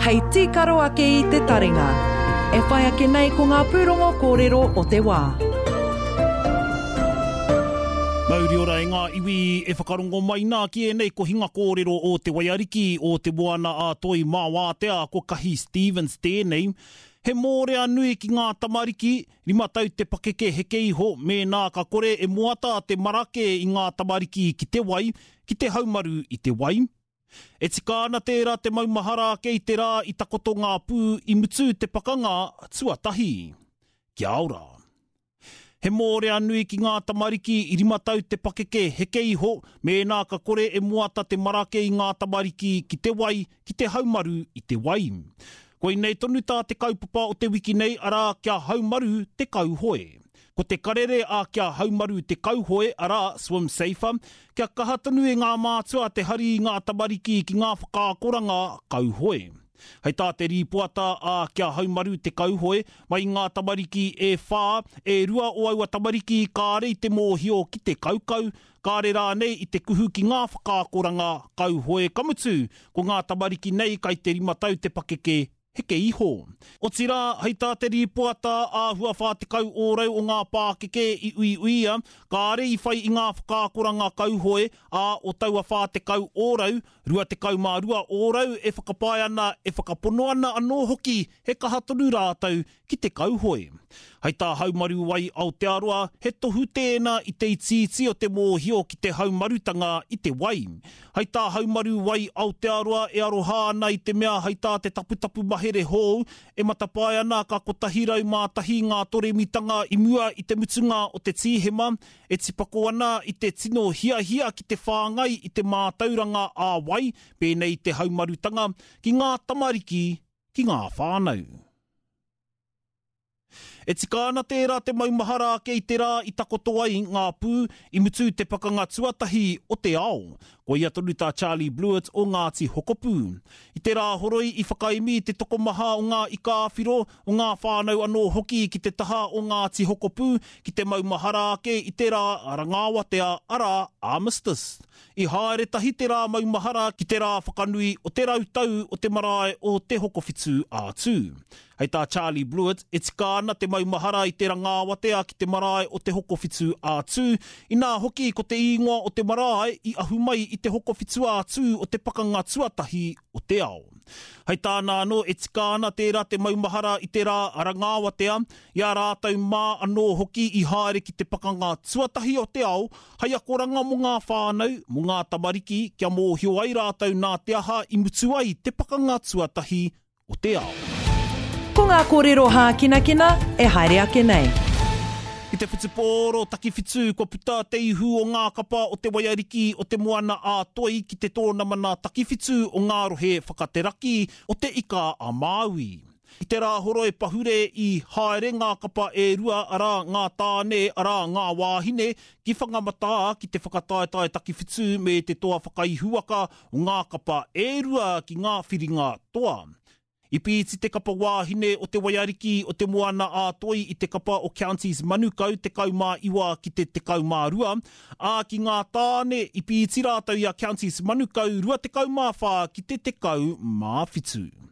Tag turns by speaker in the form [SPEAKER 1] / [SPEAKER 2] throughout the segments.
[SPEAKER 1] Hei tīkaro ake i te taringa. E whai ake nei ko ngā pūrongo kōrero o te wā.
[SPEAKER 2] Mauri ora e ngā iwi e whakarongo mai nā ki ēnei kohinga kōrero o Te Waiariki, o Te Moana a Toi mā Wātea, ko Kahi Stevens tēnei. He mōrea nui ki ngā tamariki, 5 tau te pakeke heke iho, mēnā ka kore e moata te marake i ngā tamariki ki te wai, ki te haumaru i te wai. E tika ana tērā te maumahara ake i te rā i takoto ngā pū i mutu te pakanga tuatahi. Kia ora. He mōrea nui ki ngā tamariki i 5 tau te pakeke heke iho mēnā ka kore e moata te marake i ngā tamariki ki te wai, ki te haumaru i te wai. Koinei tonu tā te kaupapa o te wiki nei arā kia haumaru te kauhoe. Ko te karere a Kia Haumaru te Kauhoe, arā, Swim Safer, kia kaha tonu e ngā mātua te hari i ngā tamariki ki ngā whakaakoranga kauhoe. Hei tā te rīpoata a Kia Haumaru te Kauhoe, mai i ngā tamariki e whā, e rua o aua tamariki kāre i te mōhio ki te kaukau, kāre rānei i te kuhu ki ngā whakaakoranga kauhoe, ka mutu, ko ngā tamariki nei kai te rima tau te pakeke heke iho. Otirā, hei tā te rīpoata, āhua 40 ōrau o ngā pākeke i uiuia, kāre i whai i ngā whakaakoranga kauhoe, ā, o taua 40 ōrau, 22 ōrau e whakapae ana, e whakapono ana anō hoki he kaha tonu rātou ki te kauhoe. Hei tā Haumaru Wai Aotearoa, he tohu tēnā i te itiiti o te mōhio ki te haumarutanga i te wai. Hei tā Haumaru Wai Aotearoa e aroha ana i te mea hei tā te taputapu mahere hou e matapae ana ka 101 ngā toremitanga i mua i te mutunga o te Tīhema, e tipako ana i te tino hiahia ki te whāngai i te mātauranga ā-wai, pēnei i te haumarutanga, ki ngā tamariki ki ngā whānau. E tika ana tērā te maumahara ake i te rā i takoto ai ngā pū i mutu te Pakanga Tuatahi o te Ao. Koia tonu tā Charlie Bluett o Ngāti Hokopū. I te Rāhoroi i whakaemi te tokomaha o ngā ika-a-whiro, o ngā whānau anō hoki ki te taha o Ngāti Hokopū ki te maumahara ake i te rā Rangaawatea arā, Armistice. I haere tahi te rā maumahara ki te rā whakanui o te rautau o te marae o Te Hokowhitu a Tū. Hei tā Charlie Bluett, e tika ana te maumahara i te rangaawatea ki te marae o Te Hokowhitu a Tū, inā hoki ko te īngoa o te marae i ahu mai i Te Hokowhitu a Tū o te Pakanga Tuatahi o te Ao. Hei tāna anō, e tika ana tērā te maumahara i te rā rangaawatea, i a rātou mā anō hoki i haere ki te Pakanga Tuatahi o te Ao, Hei akoranga mō ngā whānau, mō ngā tamariki, kia mōhio ai rātou nā te aha i mutu ai te pakanga tuatahi o te ao.
[SPEAKER 1] Ko ngā kōrero hākinakina e haere ake nei.
[SPEAKER 2] I te whutupōro takiwhitu kua puta te ihu o ngā kapa o te waiariki o Te Moana a Toi ki te tōnamana takiwhitu o ngā rohe whakateraki o Te Ika a Māui. I te Rāhoroi pahure i haere ngā kapa e rua, arā, ngā tāne, arā, ngā wāhine, ki Whangamatā ki te whakataetae takiwhitu me te toa whakaihuwaka o ngā kapa e rua ki ngā whiringa toa. I pīti te kapa wāhine o Te Waiariki o Te Moana-a-Toi i te kapa o Counties Manukau 19 ki te 12, ā, ki ngā tāne i pīti rātou i a Counties Manukau 24 ki te 17.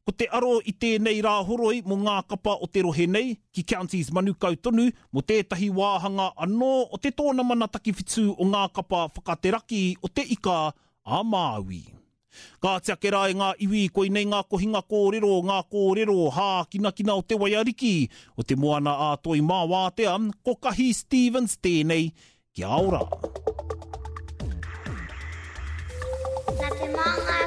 [SPEAKER 2] Ko te aro i tēnei Rāhoroi mō ngā kapa o te rohe nei, ki Counties Manukau tonu, mō tētahi wāhanga anō o te tōnamana takiwhitu o ngā kapa whakateraki o Te Ika a Māui. Kāti ake rā e ngā iwi, koinei ngā kohinga kōrero, ngā kōrero hākinakina o te waiariki, o Te Moana a Toi mā Wātea, ko Kahi Stevens tēnei, Kia ora!
[SPEAKER 3] Nā te māngai.